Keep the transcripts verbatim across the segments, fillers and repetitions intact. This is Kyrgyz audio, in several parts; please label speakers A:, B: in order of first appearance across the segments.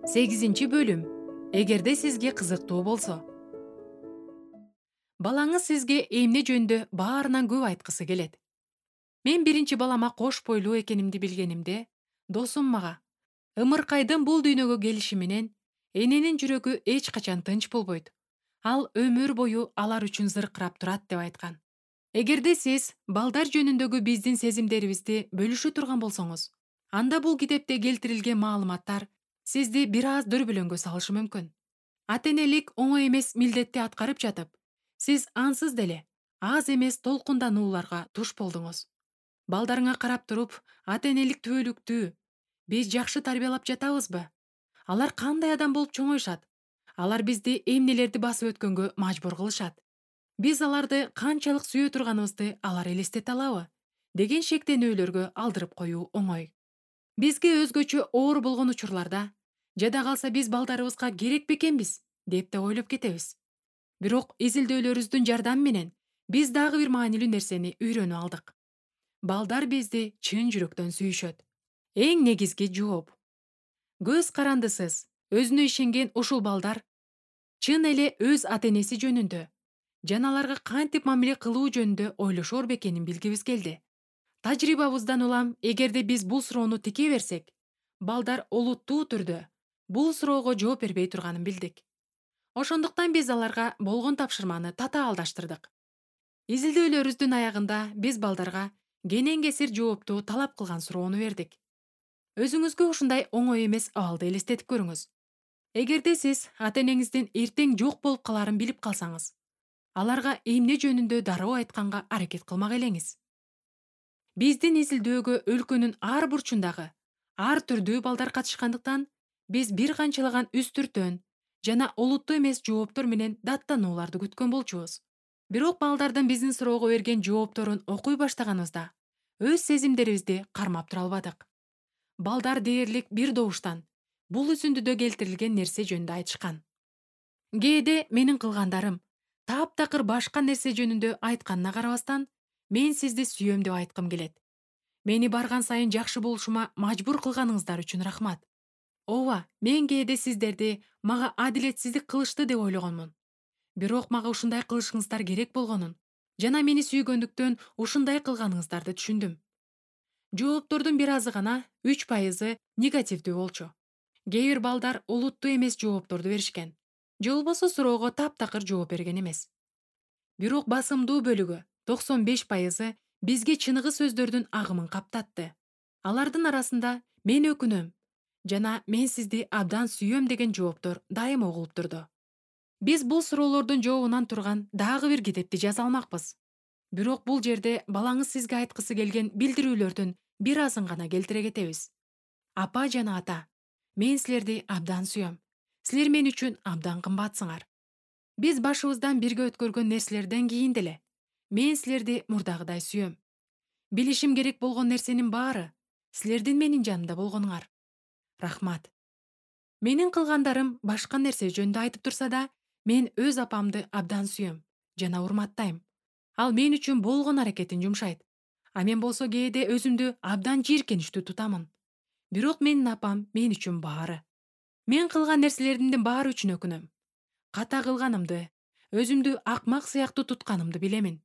A: сегизинчи бөлүм. Эгерде сизге кызыктуу болсо. Балаңыз сизге эмне жөнүндө баарынан көп айткысы келет. Мен биринчи балама кош бойлуу экенимди билгенимде, досум мага ымыркайдын бул дүйнөгө келиши менен эненин жүрөгү эч качан тынч болбойт. Ал өмүр бою алар үчүн зыркырап турат деп айткан. Эгерде сиз балдар жөнүндөгү биздин сезимдерибизди бөлүшө турган болсоңуз, анда бул китепте келтирилген маалыматтар сизди бир аз дүрбүлөңгө салышы мүмкүн. Ата-энелик оңой эмес милдетти аткарып жатып, сиз ансыз деле аз эмес толкунданууларга туш болдуңуз. Балдарыңа карап туруп, ата-энелик түбөлүктүү, биз жакшы тарбиялап жатабызбы? Алар кандай адам болуп чоңоюшат? Алар бизди эмнелерди басып өткөнгө мажбур кылышат? Биз аларды канчалык сүйө турганыбызды алар элестете алабы? Деген шектенүүлөргө алдырып коюу оңой. Бизге өзгөчө оор болгон учурларда, жада калса биз балдарыбызга керек бекенбиз деп да ойлоп кетебиз. Бирок изилдөөлөрүбүздүн жардамы менен биз дагы бир маанилүү нерсени үйрөнүп алдык. Балдар бизди чын жүрөктөн сүйүшөт. Эң негизги жооп. Көз карандысыз, өзүнө ишенген ушул балдар чын эле өз ата-энеси жөнүндө жана аларга кантип мамиле кылуу жөнүндө ойлошор бекенин билгибиз келди. Тажрыйбабыздан улам, эгерде биз бул суроону тикей берсек, балдар олуттуу түрдө бул суроого жооп бербей турганын билдик. Ошондуктан биз аларга болгон тапшырманы татаалдаштырдык. Изилдөөлөрүбүздүн аягында биз балдарга кенен кесир жоопту талап кылган суроону бердик. Өзүңүзгө ушундай оңой эмес абалды элестетип көрүңүз. Эгерде сиз ата-энеңиздин эртең жок болуп калаарын билип калсаңыз, аларга эмне жөнүндө дароо айтканга аракет кылмак элеңиз. Биздин изилдөөгө өлкөнүн ар бурчундагы ар түрдүү балдар катышкандыктан, биз бир канчалаган үстүртөн жана олуттуу эмес жооптор менен даттанууларды күткөн болчубуз. Бирок балдардын биздин суроого берген жоопторун окуй баштаганыбызда, өз сезимдерибизди кармап тура албадык. Балдар дээрлик бир добуштан бул үзүндүдө келтирилген нерсе жөнүндө айтышкан. Кээде менин кылгандарым таптакыр башка нерсе жөнүндө айтканына карабастан, мен сизди сүйөм деп айткым келет. Мени барган сайын жакшы болушума мажбур кылганыңыздар үчүн рахмат. Ооба, мен кээде сиздерди мага адилетсиздик кылышты деп ойлогонмун. Бирок мага ушундай кылышыңыздар керек болгонун жана мени сүйгөндүктөн ушундай кылганыңыздарды түшүндүм. Жооптордун бир азы гана үч пайызы негативдүү болчу. Кээ бир балдар олуттуу эмес жоопторду беришкен. Же болбосо суроого таптакыр жооп берген эмес. Бирок басымдуу бөлүгү токсон беш пайызы бизге чыныгы сөздөрдүн агымын каптатты. Алардын арасында мен өкүнөм жана мен сизди абдан сүйөм деген жооптор дайыма угулуп турду. Биз бул суроолордун жообунан турган дагы бир китепти жаза алмакпыз. Бирок бул жерде балаңыз сизге айткысы келген билдирүүлөрдүн бир азын гана келтире кетебиз. Апа жана ата, мен силерди абдан сүйөм. Силер мен үчүн абдан кымбатсыңар. Биз башыбыздан бирге өткөргөн нерселерден кийин деле мен силерди мурдагыдай сүйөм. Билишим керек болгон нерсенин баары силердин менин жанымда болгонуңар. Рахмат. Менин кылгандарым башка нерсе жөнүндө айтып турса да, мен өз апамды абдан сүйөм жана урматтайм. Ал мен үчүн болгон аракетин жумшайт. А мен болсо кээде өзүмдү абдан жийиркеничтүү тутамын. Бирок менин апам мен үчүн баары. Мен кылган нерселеримдин баары үчүн өкүнөм. Ката кылганымды, өзүмдү акмак сыяктуу тутканымды билемин.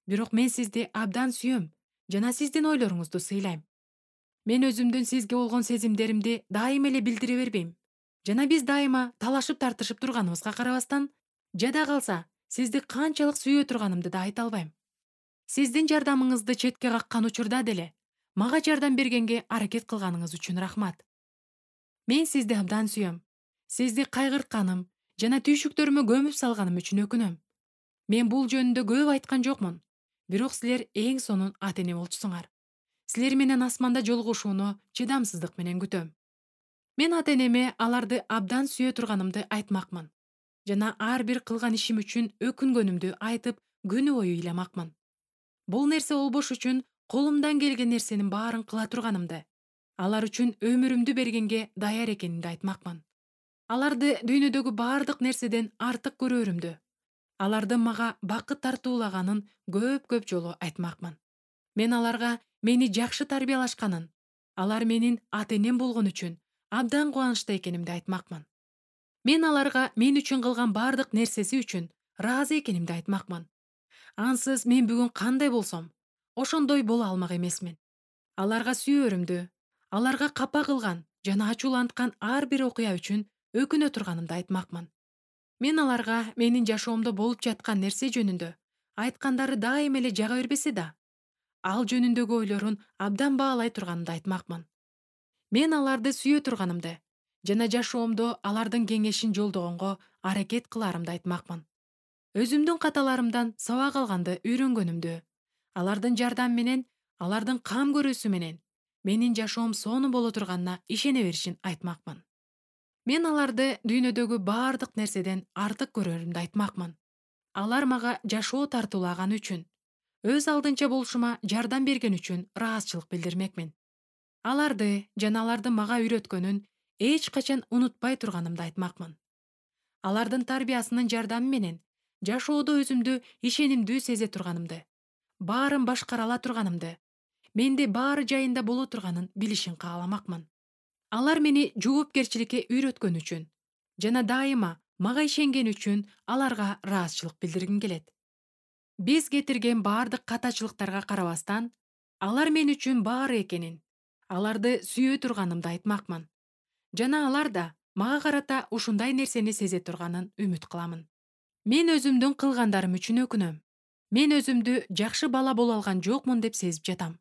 A: Бирок мен сизди абдан сүйөм жана сиздин ойлоруңузду сыйлайм. Мен өзүмдүн сизге болгон сезимдеримди дайыма эле билдире бербейм. Жана биз дайыма талашып тартышып турганыбызга карабастан, жада калса сизди канчалык сүйө турганымды да айта албайм. Сиздин жардамыңызды четке каккан учурда деле мага жардам бергенге аракет кылганыңыз үчүн рахмат. Мен сизди абдан сүйөм. Сизди кайгыртканым жана түйшүктөрүмө көмүп салганым үчүн өкүнөм. Мен бул жөнүндө көп айткан жокмун. Бирок силер эң сонун ата-эне болчусуңар. Силер менен асманда жолугушууну чыдамсыздык менен күтөм. Мен ата-энеме аларды абдан сүйө турганымды айтмакмын. Жана ар бир кылган ишим үчүн өкүнгөнүмдү айтып, күнү бою ыйламакмын. Бул нерсе болбош үчүн колумдан келген нерсенин баарын кыла турганымды, алар үчүн өмүрүмдү бергенге даяр экенимди айтмакмын. Аларды дүйнөдөгү баардык нерседен артык көрөрүмдү, алардын мага бакыт тартуулаганын көп-көп жолу айтмакмын. Мен аларга мени жакшы тарбиялашканын, алар менин ата-энем болгон үчүн абдан кубанычта экенимди айтмакмын. Мен аларга мен үчүн кылган бардык нерсеси үчүн ыраазы экенимди айтмакмын. Ансыз мен бүгүн кандай болсом, ошондой боло алмак эмесмин. Аларга сүйөрүмдү, аларга капа кылган жана ачууланткан ар бир окуя үчүн өкүнө турганымды айтмакмын. Мен аларга менин жашоомдо болуп жаткан нерсе жөнүндө айткандары дайыма эле жага бербесе да, ал жөнүндөгү ойлорун абдан баалай турганымды айтмакмын. Мен аларды сүйө турганымды жана жашоомдо алардын кеңешин жолдогонго аракет кылаарымды айтмакмын. Өзүмдүн каталарымдан сабак алганды үйрөнгөнүмдү, алардын жардамы менен, алардын кам көрүүсү менен менин жашоом сонун боло турганына ишене беришин айтмакмын. Мен аларды дүйнөдөгү бардык нерседен артык көрөрүмдү айтмакмын. Алар мага жашоо тартуулаган үчүн, өз алдынча болушума жардам берген үчүн ыраазычылык билдирмекмин. Аларды жана алардын мага үйрөткөнүн эч качан унутпай турганымды айтмакмын. Алардын тарбиясынын жардамы менен жашоодо өзүмдү ишенимдүү сезе турганымды, баарын башкара ала турганымды, менде баары жайында боло турганын билишин кааламакмын. Алар мени жоопкерчиликке үйрөткөн үчүн жана дайыма мага ишенген үчүн аларга ыраазычылык билдиргим келет. Биз кетирген бардык катачылыктарга карабастан, алар мен үчүн баары экенин, аларды сүйө турганымды айтмакмын. Жана алар да мага карата ушундай нерсени сезе турганын үмүт кыламын. Мен өзүмдүн кылгандарым үчүн өкүнөм. Мен өзүмдү жакшы бала боло алган жокмун деп сезип жатам.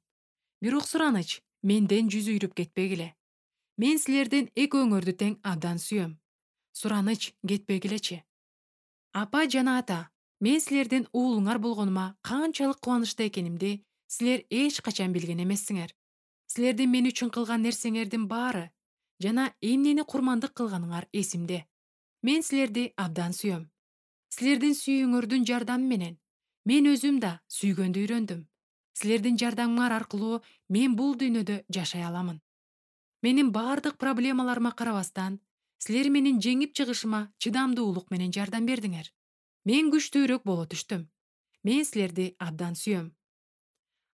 A: Бирок сураныч менден жүз үйрүп кетпегиле. Мен силердин экөөңөрдү тең абдан сүйөм. Сураныч кетпегилечи. Апа жана ата, мен силердин уулуңар болгонума канчалык кубанычта экенимди силер эч качан билген эмессиңер. Силердин мен үчүн кылган нерсеңердин баары жана эмнени курмандык кылганыңар эсимде. Мен силерди абдан сүйөм. Силердин сүйүүңөрдүн жардамы менен мен өзүм да сүйгөндү үйрөндүм. Силердин жардамыңар аркылуу мен бул дүйнөдө жашай аламын. Менин бардык проблемаларыма карабастан, силер менин жеңип чыгышыма чыдамдуулук менен жардам бердиңер. Мен күчтүүрөөк боло түштүм. Мен силерди абдан сүйөм.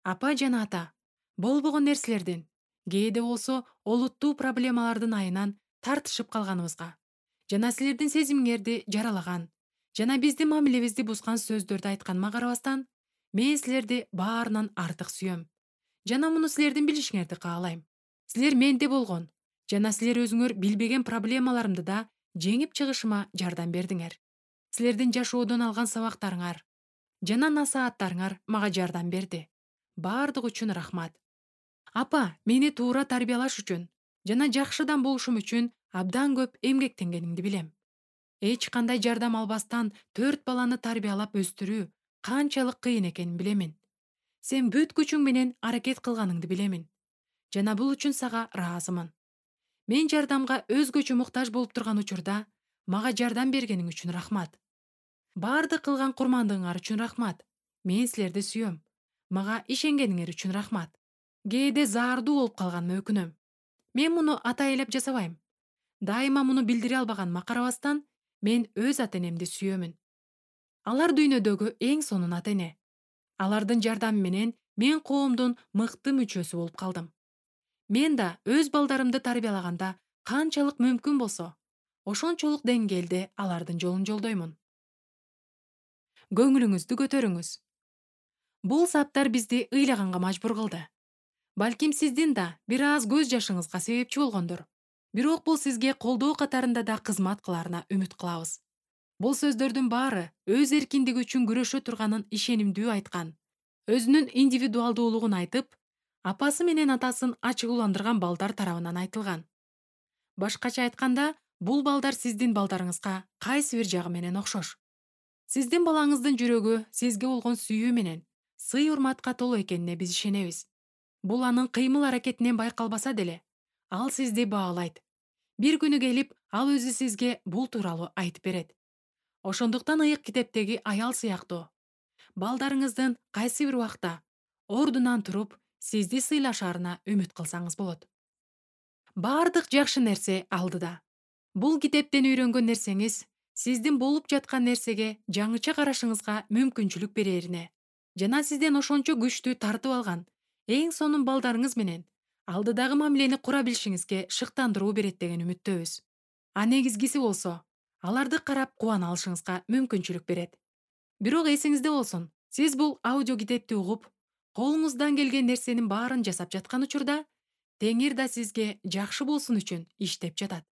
A: Апа жана ата, болбогон нерселердин, кээде болсо олуттуу проблемалардын айынан тартышып калганыбызга жана силердин сезимиңерди жаралаган жана биздин мамилебизди бузган сөздөрдү айтканыма карабастан, мен силерди баарынан артык сүйөм. Жана муну силердин билишиңерди каалайм. Силер менде болгон жана силер өзүңөр билбеген проблемаларымды да жеңип чыгышыма жардам бердиңер. Силердин жашоодон алган сабактарыңар жана насааттарыңар мага жардам берди. Бардык үчүн рахмат. Апа, мени туура тарбиялаш үчүн жана жакшыдан болушум үчүн абдан көп эмгектенгениңди билем. Эч кандай жардам албастан төрт баланы тарбиялап өстүрүү канчалык кыйын экенин билемин. Сен бүт күчүң менен аракет кылганыңды билемин. Жана бул үчүн сага ыраазымын. Мен жардамга өзгөчө муктаж болуп турган учурда мага жардам бергениң үчүн рахмат. Бардык кылган курмандыгыңар үчүн рахмат. Мен силерди сүйөм. Мага ишенгениңер үчүн рахмат. Кээде заардуу болуп калганыма өкүнөм. Мен муну атайлап жасабайм. Дайыма муну билдире албаганыма карабастан, мен өз ата-энемди сүйөмүн. Алар дүйнөдөгү эң сонун ата-эне. Алардын жардамы менен мен коомдун мыкты мүчөсү болуп калдым. Мен да өз балдарымды тарбиялаганда канчалык мүмкүн болсо, ошончолук деңгээлде алардын жолун жолдоймун. Көңүлүңүздү көтөрүңүз. Бул саптар бизди ыйлаганга мажбур кылды. Балким сиздин да бир аз көз жашыңызга себепчи болгондур. Бирок бул сизге колдоо катарында да кызмат кылаарына үмүт кылабыз. Бул сөздөрдүн баары өз эркиндиги үчүн күрөшө турганын ишенимдүү айткан, өзүнүн индивидуалдуулугун айтып, апасы менен атасын ачыгууландырган балдар тарабынан айтылган. Башкача айтканда, бул балдар сиздин балдарыңызга кайсы бир жагы менен окшош. Сиздин балаңыздын жүрөгү сизге болгон сүйүү менен сый урматка толуу экенине биз ишенебиз. Бул анын кыймыл аракетинен байкалбаса деле, ал сизди баалайт. Бир күнү келип, ал өзү сизге бул тууралуу айтып берет. Ошондуктан ыйык китептеги аял сыяктуу, балдарыңыздын кайсы бир убакта ордунан туруп, сизди сыйлашаарына үмүт кылсаңыз болот. Бардык жакшы нерсе алдыда. Бул китептен үйрөнгөн нерсеңиз сиздин болуп жаткан нерсеге жаңыча карашыңызга мүмкүнчүлүк берерине жана сизден ошончо күчтүү тартып алган эң сонун балдарыңыз менен алдыдагы мамилени кура билишиңизге шыктандыруу берет деген үмүттөбүз. А негизгиси болсо, аларды карап кубана алышыңызга мүмкүнчүлүк берет. Бирок эсиңизде болсун, сиз бул аудио китепти угуп, колуңуздан келген нерсенин баарын жасап жаткан учурда, Теңир да сизге жакшы болсун үчүн иштеп жатат.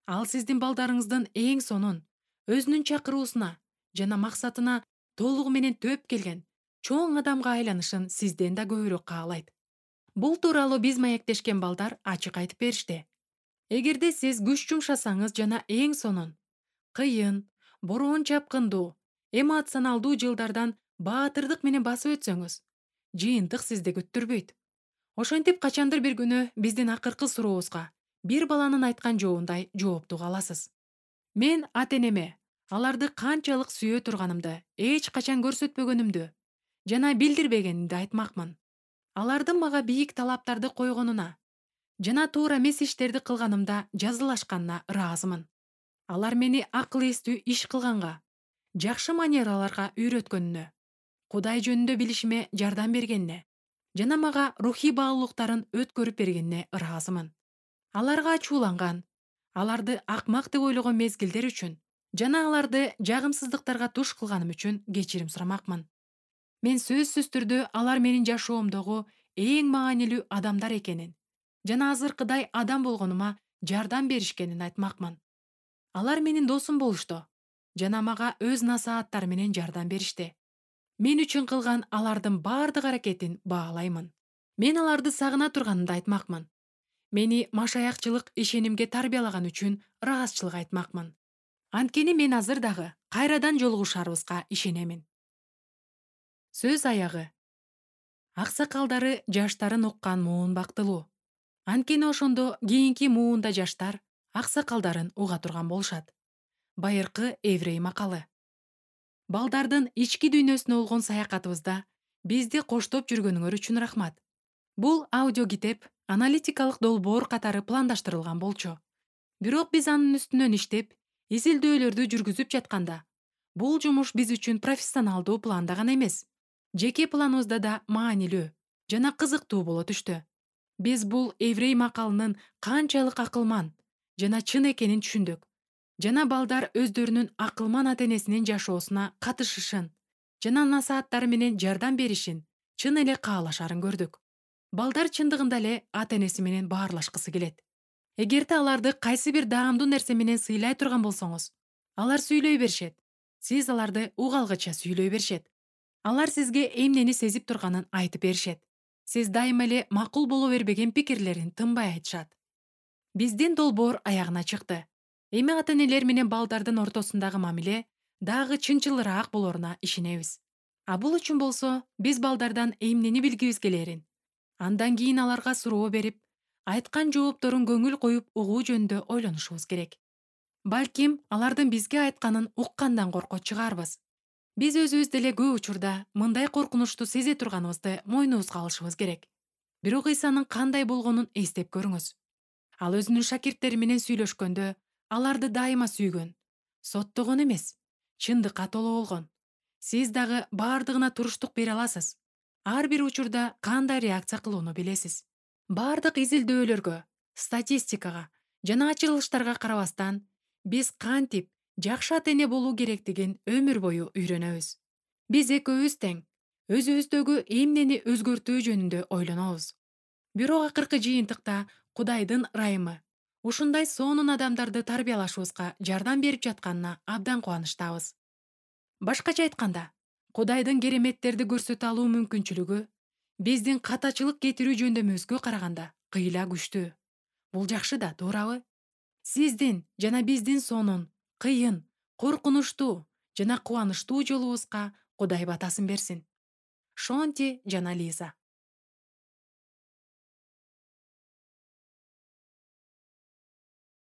A: Ал сиздин балдарыңыздын эң сонун, өзүнүн чакыруусуна жана максатына толугу менен төп келген чоң адамга айланышын сизден да көбүрөөк каалайт. Бул тууралуу биз маектешкен балдар ачык айтып беришти. Эгерде сиз күч жумшасаңыз жана эң сонун, кыйын, бороон чапкындуу, эмоционалдуу жылдардан баатырдык менен басып өтсөңүз, жыйынтык сизди күттүрбөйт. Ошентип качандыр бир күнү биздин акыркы сурообузга бир баланын айткан жообундай жоопту аласыз. Мен ата-энеме аларды канчалык сүйө турганымды эч качан көрсөтпөгөнүмдү жана билдирбегенимди айтмакмын. Алардын мага бийик талаптарды койгонуна жана туура эмес иштерди кылганымда жазылашканына ыраазымын. Алар мени акыл эстүү иш кылганга, жакшы манераларга үйрөткөнүнө, Кудай жөнүндө билишиме жардам бергенине жана мага рухий баалуулуктарын өткөрүп бергенине ыраазымын. Аларга ачууланган, аларды акмак деп ойлогон мезгилдер үчүн жана аларды жагымсыздыктарга туш кылганым үчүн кечирим сурамакмын. Мен сөзсүз түрдө алар менин жашоомдогу эң маанилүү адамдар экенин жана азыркыдай адам болгонума жардам беришкенин айтмакмын. Алар менин досум болушту жана мага өз насааттары менен жардам беришти. Мен үчүн кылган алардын баардык аракетин баалаймын. Мен аларды сагына турганымды айтмакмын. Мени машаякчылык ишенимге тарбиялаган үчүн ыраазычылык айтмакмын. Анткени мен азыр дагы кайрадан жолугушарыбызга ишенемин. Сөз аягы. Аксакалдары жаштарын уккан муун бактылуу. Анткени ошондо кийинки муунда жаштар аксакалдарын уга турган болушат. Байыркы еврей макалы. Балдардын ички дүйнөсүнө болгон саякатыбызда бизди коштоп жүргөнүңөр үчүн рахмат. Бул аудио китеп аналитикалык долбоор катары пландаштырылган болчу. Бирок биз анын үстүнөн иштеп, изилдөөлөрдү жүргүзүп жатканда, бул жумуш биз үчүн профессионалдуу планда гана эмес, жеке планыбызда да маанилүү жана кызыктуу боло түштү. Биз бул еврей макалынын канчалык акылман жана чын экенин түшүндүк. Жана балдар өздөрүнүн акылман ата-энесинин жашоосуна катышышын жана насааттары менен жардам беришин чын эле каалашарын көрдүк. Балдар чындыгында эле ата-энеси менен баарлашкысы келет. Эгерде аларды кайсы бир даамдуу нерсе менен сыйлай турган болсоңуз, алар сүйлөй беришет. Сиз аларды угалгыча сүйлөй беришет. Алар сизге эмнени сезип турганын айтып беришет. Сиз дайыма эле макул боло бербеген пикирлерин тынбай айтышат. Биздин долбоор аягына чыкты. Эми ата-энелер менен балдардын ортосундагы мамиле дагы чынчылыраак болоруна ишенебиз. А бул үчүн болсо, биз балдардан эмнени билгибиз келерин, андан кийин аларга суроо берип, айткан жоопторун көңүл коюп угуу жөнүндө ойлонушубуз керек. Балким, алардын бизге айтканын уккандан коркот чыгарбыз. Биз өзүбүз деле көп учурда мындай коркунучту сезе турганыбызды мойнубузга алышыбыз керек. Бирок Исанын кандай болгонун эстеп көрүңүз. Ал өзүнүн шакирттери менен сүйлөшкөндө, аларды дайыма сүйгөн, соттогон эмес, чындыкка толо болгон. Сиз дагы баардыгына туруштук бере аласыз. Ар бир учурда кандай реакция кылууну билесиз. Баардык изилдөөлөргө, статистикага жана ачырылыштарга карабастан, биз кантип жакшы ата-эне болуу керектигин өмүр бою үйрөнөбүз. Биз экөөбүз тең, өзүбүздөгү эмнени өзгөртүү жөнүндө ойлонобуз. Бирок акыркы жыйынтыкта Кудайдын ырайымы ушундай сонун адамдарды тарбиялашыбызга жардам берип жатканына абдан кубанычтабыз. Башкача айтканда, Кудайдын кереметтерди көрсөтө алуу мүмкүнчүлүгү биздин катачылык кетирүү жөндөмүбүзгө караганда кыйла күчтүү. Бул жакшы да, туурабы? Сиздин жана биздин сонун, кыйын, коркунучтуу жана кубанычтуу жолубузга Кудай батасын берсин. Шонти жана Лиза.